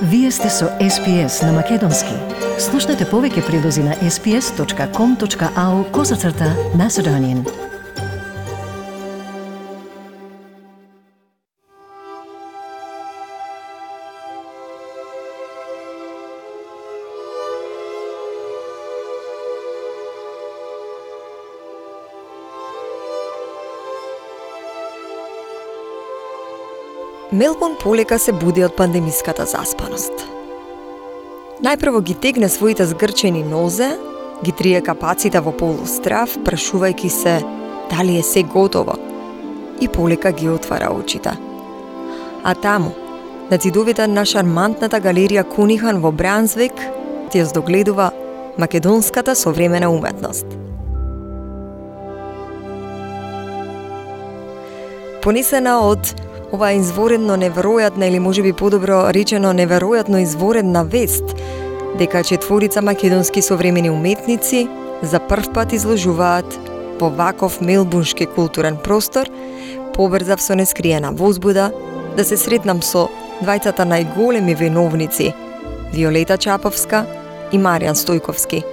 Вие сте со SPS на Македонски. Слушнете повеќе прилози на sps.com.au/Macedonian. Мелбурн полека се буди од пандемиската заспаност. Најпрво ги тегне своите згрчени нозе, ги трие капаците во полустрав, прашувајќи се дали е се готово, и полека ги отвара очите. А таму, на ѕидовите на шармантната галерија Кунихан во Брансвик, ти ја здогледува македонската современа уметност. Понесена од ова изворедно неверојатна или можеби подобро речено неверојатно изворедна вест дека четворица македонски современи уметници за прв пат изложуваат во ваков мелбурншки културен простор, побрзав со нескриена возбуда да се сретнам со двајцата најголеми виновници Виолета Чаповска и Маријан Стојковски,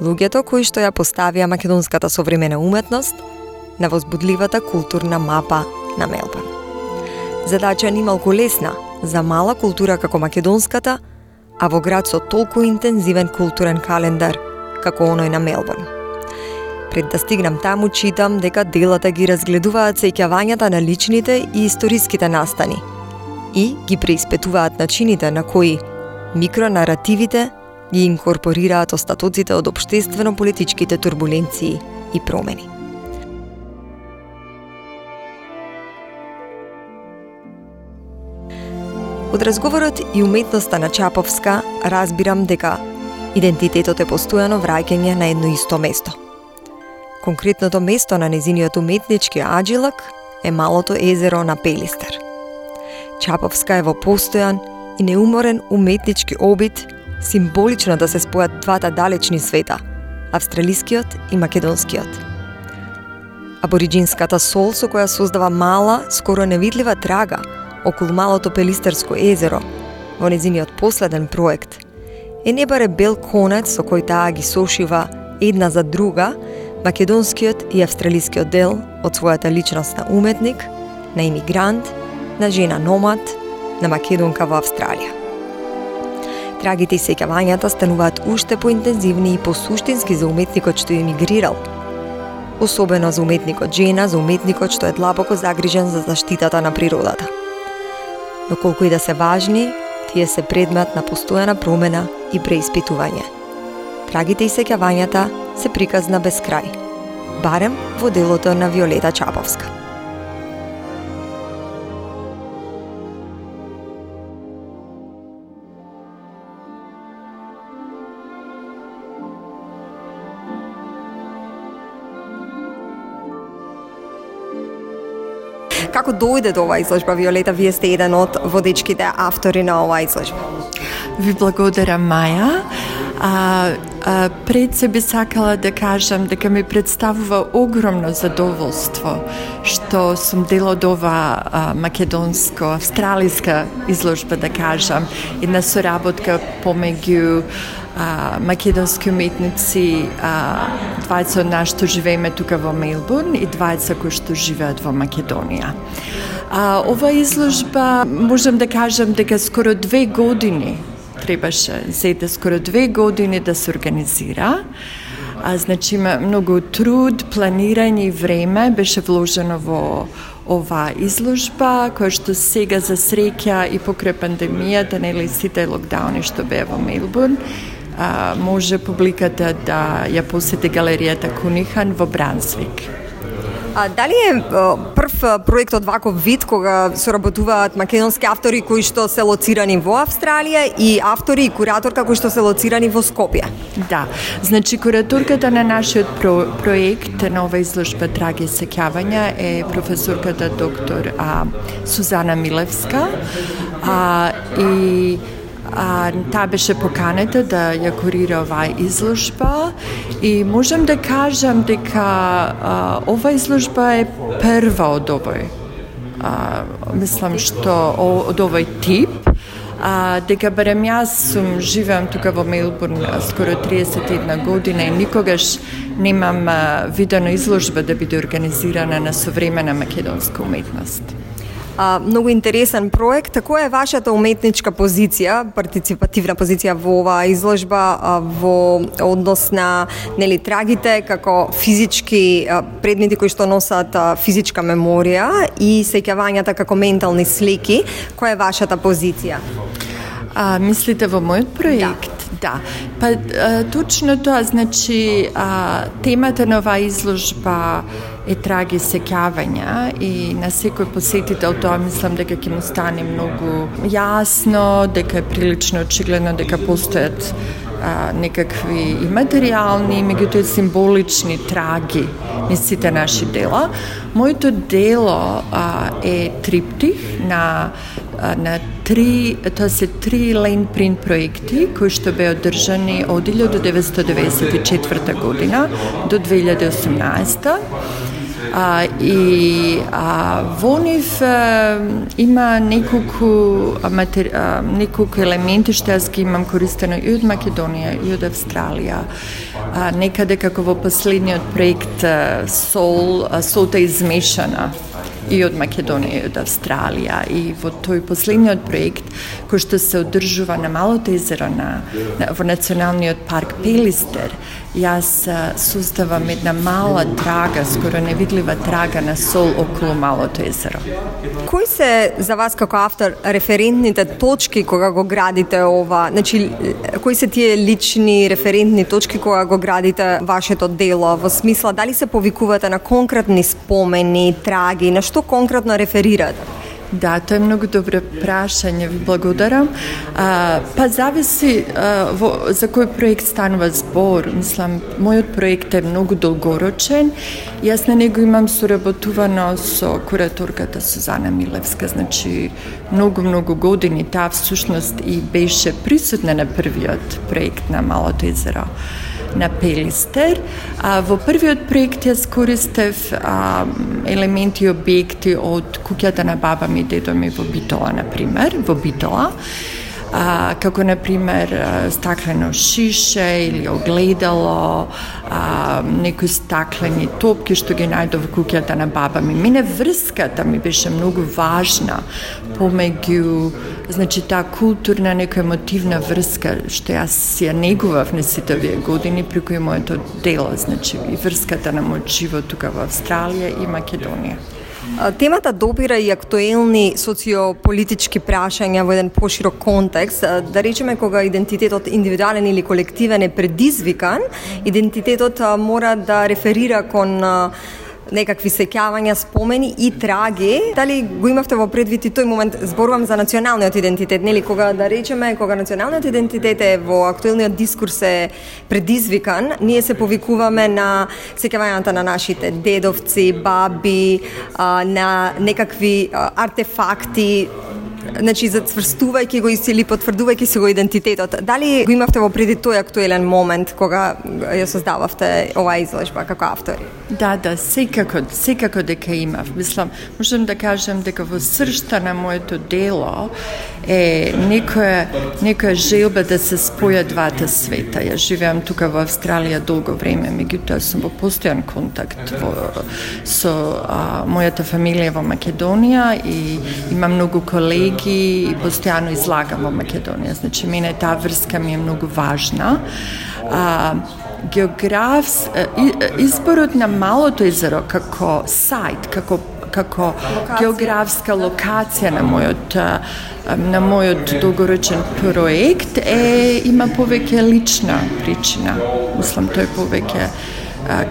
луѓето кои што ја поставија македонската современа уметност на возбудливата културна мапа на Мелбурн. Задача нималку лесна за мала култура како македонската, а во град со толку интензивен културен календар како оној на Мелбурн. Пред да стигнам таму, читам дека делата ги разгледуваат сеќавањата на личните и историските настани и ги преиспитуваат начините на кои микронаративите ги инкорпорираат остатоците од општествено-политичките турбуленции и промени. Од разговорот и уметноста на Чаповска разбирам дека идентитетот е постојано враќање на едно исто место. Конкретното место на незиниот уметнички аджилак е малото езеро на Пелистер. Чаповска е во постојан и неуморен уметнички обид символично да се спојат двата далечни света, австралискиот и македонскиот. Абориджинската сол со која создава мала, скоро невидлива трага околу малото Пелистерско езеро во незиниот последен проект е не баре бел конец со кој таа ги сошива една за друга македонскиот и австралискиот дел од својата личност на уметник, на имигрант, на жена номад, на македонка во Австралија. Трагите и сеќавањата стануваат уште поинтензивни и посуштински за уметникот што емигрирал, особено за уметникот жена, за уметникот што е длабоко загрижен за заштитата на природата. Но колку и да се важни, тие се предмет на постојана промена и преиспитување. Трагите и сеќавањата се приказна без крај, барем во делото на Виолета Чаповска. Како дојде до оваа изложба, Виолета? Вие сте еден од водечките автори на оваа изложба. Ви благодарам, Маја. Пред се би сакала да кажам дека ми представува огромно задоволство што сум дел од ова македонско-австралиска изложба, да кажам, една соработка помеѓу македонски уметници, двајца од нас што живееме тука во Мелбурн и двајца кои што живеат во Македонија. Ова изложба, можам да кажам дека скоро 2 години требаше, зеде скоро 2 години да се организира. Значи има многу труд, планирање и време беше вложено во оваа изложба, која што сега за среќа и покрај пандемијата, нели сите локдауни што беа во Мелбурн, може публиката да ја посети галеријата Кунихан во Брансвик. Дали е прв проект од ваков вид кога соработуваат македонски автори кои што се лоцирани во Австралија и автори и кураторка кои што се лоцирани во Скопје? Да, значи кураторката на нашиот проект на ова изложба Траги и сеќавања е професорката доктор Сузана Милевска и таа беше поканета да ја курира оваа изложба и можам да кажам дека ова изложба е прва од овој. Мислам што од овој тип дека барем јас живеам тука во Мелбурн скоро 31 година и никогаш немам видено изложба да биде организирана на современа македонска уметност. Многу интересен проект. Која е вашата уметничка позиција, партиципативна позиција во оваа изложба во однос на трагите како физички предмети кои што носат физичка меморија и сеќавањата како ментални слики? Која е вашата позиција? Мислите во мојот проект? Да. Па точно тоа, значи темата на оваа изложба е траги сеќавања и на секој посетител тоа мислам дека ќе му стане многу јасно, дека е прилично очигледно дека постојат некакви и материјални, меѓутоа символични траги низ сите наши дела. Моето дело е триптих на три, тоа се 3 лейн принт проекти кои што беа одржани од 1994 година до 2018. Во нив има неколку елементи што јас ги имам користено и од Македонија и од Австралија. Некаде како во последниот проект солта измешана и од Македонија и од Австралија. И во тој последниот проект, кој што се одржува на Малото езеро во Националниот парк Пелистер, јас создавам една мала трага, скоро невидлива трага на сол околу Малото езеро. Кои се за вас како автор референтните точки кога го градите ова? Значи, кои се тие лични референтни точки кога го градите вашето дело? Во смисла, дали се повикувате на конкретни спомени, траги, на што конкретно реферирате? Да, тоа е многу добро прашање, ви благодарам. Па зависи за кој проект станува збор. Мислам, мојот проект е многу долгорочен. Јас на него имам соработувано со кураторката Сузана Милевска, значи многу години. Таа всушност и беше присутна на првиот проект на Малото езеро на Пелистер. Во првиот проект јас користев елементи и објекти од куќата на баба ми и дедо ми во Битола, например, во Битола. Како, например, стаклено шише или огледало, некои стаклени топки што ги најдов во куќата на баба ми. Мене врската ми беше многу важна помеѓу, значи таа културна, нека емотивна врска што јас ја негував на сите овие години преку моето дело, значи и врската на мојот живот тука во Австралија и Македонија. Темата допира и актуелни социополитички прашања во еден поширок контекст. Да речеме, кога идентитетот индивидуален или колективен е предизвикан, идентитетот мора да реферира кон некакви сеќавања, спомени и траги. Дали го имавте во предвид и тој момент? Зборувам за националниот идентитет, нели? Кога, да речеме, кога националниот идентитет е во актуелниот дискурс е предизвикан, ние се повикуваме на сеќавањата на нашите дедовци, баби, на некакви артефакти, значи зацврстувајќи го или потврдувајќи си го идентитетот. Дали го имавте во предвид тој актуелен момент кога ја создававте оваа изложба како автори? Да, секако дека имав. Мислам, можам да кажам дека во сршта на моето дело е некоја желба да се спојат двата света. Ја живеам тука во Австралија долго време, меѓутоа сум во постојан контакт со мојата фамилија во Македонија и имам многу колеги и постојано излагам во Македонија. Значи, мене таа врска ми е многу важна. Изборот на Малото езеро како сајт, како географска локација на мојот долгорочен проект има повеќе лична причина. Мислам, тој повеќе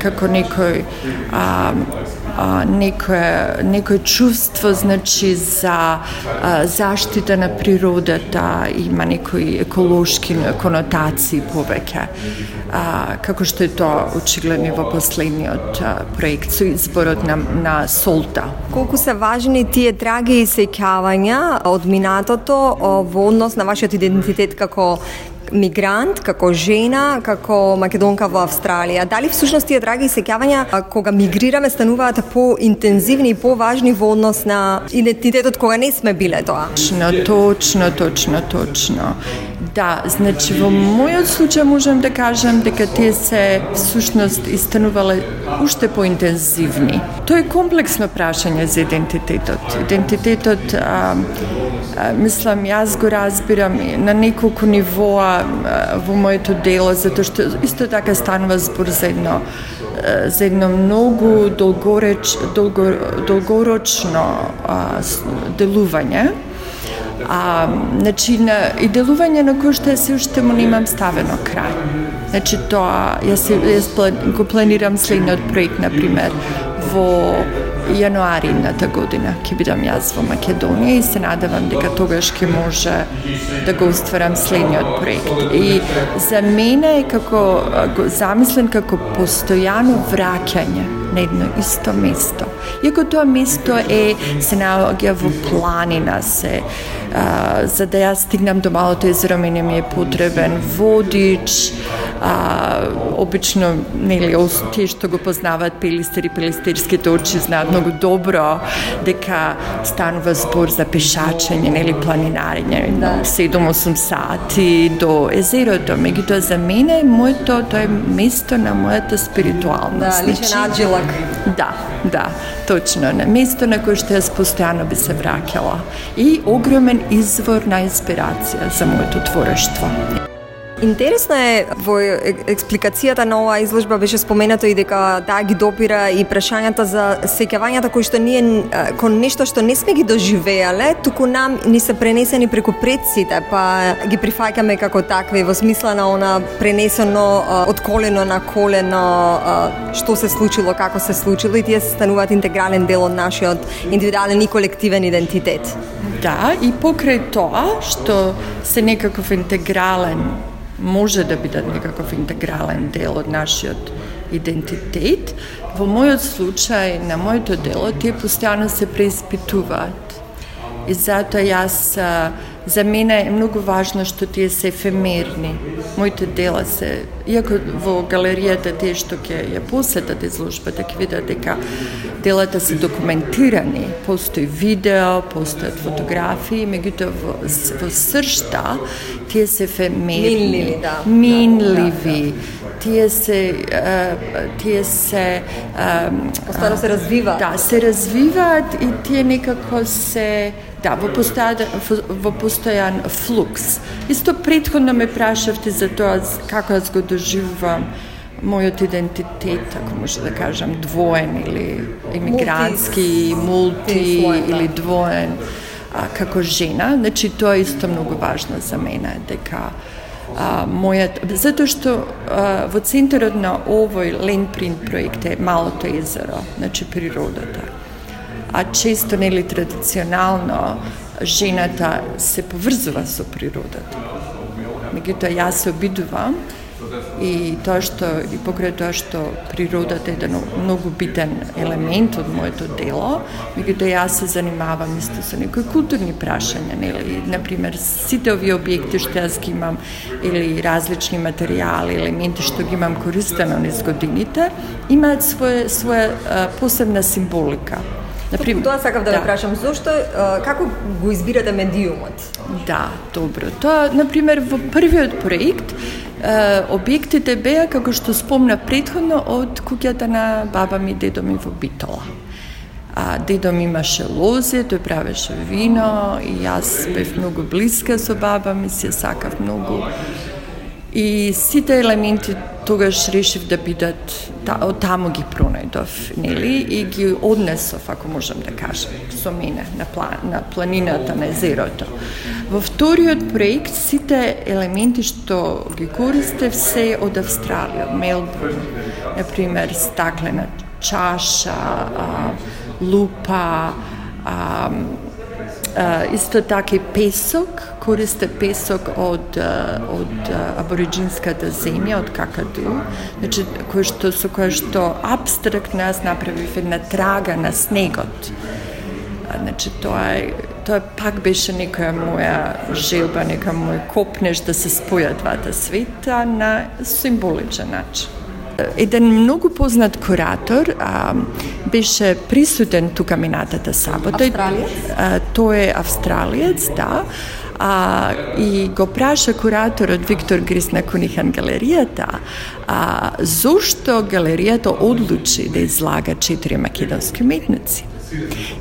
како некој чувство, значи, за заштита на природата, има некои еколошки конотации повеќе, како што е тоа очигледно во последниот проект со изборот на солта. Колку се важни тие траги и сеќавања од минатото во однос на вашиот идентитет како мигрант, како жена, како македонка во Австралија. Дали всушност тие драги сеќавања кога мигрираме стануваат поинтензивни и поважни во однос на идентитетот кога не сме биле тоа? Точно. Да, значи во мојот случај можам да кажам дека тие се всушност истанувале уште поинтензивни. Тоа е комплексно прашање за идентитетот. Идентитетот, мислам, јас го разбирам на неколку нивоа во моето дело, затоа што исто така станува збор за едно многу долгорочно делување. Значи, и делување на кој што се уште му немам ставено крај. Значи, тоа, јас го планирам следниот проект, например, во јануари едната година ќе бидам јас во Македонија и се надевам дека тогаш ќе може да го остварам следниот проект. И за мене е како замислен како постојано враќање на едно исто место. Иако тоа место се наоѓа во планина, за да јас стигнам до Малото езеро, мене ми е потребен водич, обично, нели, тие што го познаваат Пелистер и пелистерските очи знаат многу добро дека станува збор за пешачење, нели, планинарење, 7-8 сати до езерото. Меѓутоа за мене тоа е место на мојата спиритуалност. Да, личен аджилак. Да, точно. На место на кое што јас постојано би се враќала. И огромен извор на инспирација за моето творештво. Интересно е, во експликацијата на оваа изложба беше споменато и дека таа ги допира и прашањата за сеќавањата кои што ние кон нешто што не сме ги доживеале, туку нам ни се пренесени преку предците, па ги прифаќаме како такви во смисла на она пренесено од колено на колено што се случило, како се случило и тие се стануваат интегрален дел од нашиот индивидуален и колективен идентитет. Да, и покрај тоа што се некаков интегрален може да бидат некаков интегрален дел од нашиот идентитет. Во мојот случај, на моето дело, тие постојано се преиспитуваат. И затоа за мене е многу важно што тие се ефемерни. Моите дела се, иако во галеријата тие што ќе ја посетат изложбата, ќе видат дека делата се документирани, постои видео, постојат фотографии, меѓутоа во сршта тие се ефемерни, минливи. Тие се постојано се развиваат. Да, се развиваат и тие некако се во постојан флукс. Исто претходно ме прашавте за тоа како јас го доживувам мојот идентитет, ако може да кажам, двоен или емигрантски, мулти или двоен како жена. Значи, тоа е исто многу важно за мене, дека затоа што во центарот на овој Landprint проект е Малото езеро, значи природата. А често, нели, традиционално, жената се поврзува со природата. Меѓутоа, јас се обидувам и покрај тоа што природата е еден многу битен елемент од моето дело, меѓутоа јас се занимавам исто со некои културни прашања, нели, например, сите овие објекти што јас ги имам или различни материјали, елементи што ги имам користено низ годините, имаат своја посебна символика. Например, тоа сакав да ве прашам, зошто, како го избирате медиумот? Да, добро. Тоа, например, во првиот проект, објектите беа, како што спомна претходно, од куќата на баба ми и дедо ми во Битола. Дедо ми имаше лозе, тој правеше вино и јас бев многу блиска со баба ми, се сакав многу. И сите елементи тогаш решив да бидат, од таму ги пронајдов, нели, и ги однесов, ако можам да кажам, со мене на планината, на езерото. Во вториот проект, сите елементи што ги користев се од Австралија, од Мелбурн, например, стаклена чаша, лупа, исто така и песок, користе песок од абориджинската земја, од Какаду, значи, со која што абстрактно јас направив една трага на снегот. Значи, тоа тоа пак беше некоја моја желба, нека мој копнеш да се спојат двата света на символичен начин. Еден многу познат куратор беше присутен тука минатата сабота. Австралиец? Тој е австралиец, да. И го праша кураторот Виктор Грис на Кунихан галеријата зошто галеријата одлучи да излага 4 македонски уметници.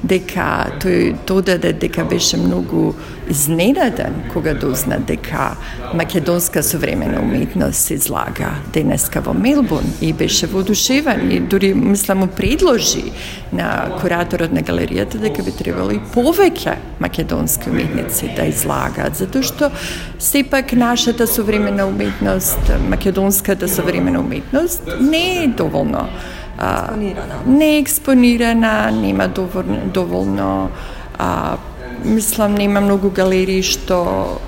Дека тој додаде дека беше многу изненаден кога дозна дека македонска современа уметност се излага денеска во Мелбурн и беше воодушевен и дури мислам му предложи на кураторот на галеријата дека би требало и повеќе македонски уметници да излагаат, затоа што сепак нашата современа уметност, македонската современа уметност не е доволно не е експонирана, нема доволно мислам нема многу галерии што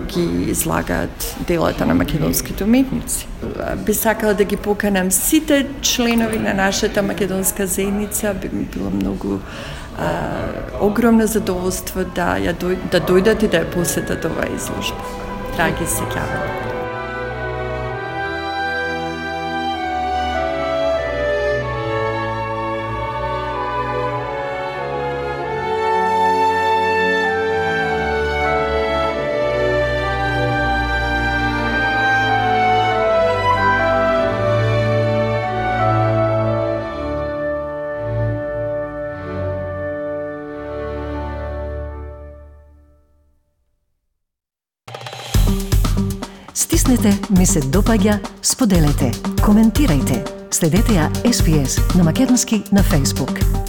ги излагаат делата на македонските уметници. Би сакала да ги поканам сите членови на нашата македонска заедница, би ми било многу огромно задоволство да дојдат и да ја посетат оваа изложба. Драги сеќавања. Стиснете, ми се допаѓа, споделете, коментирајте. Следете ја SPS на македонски на Facebook.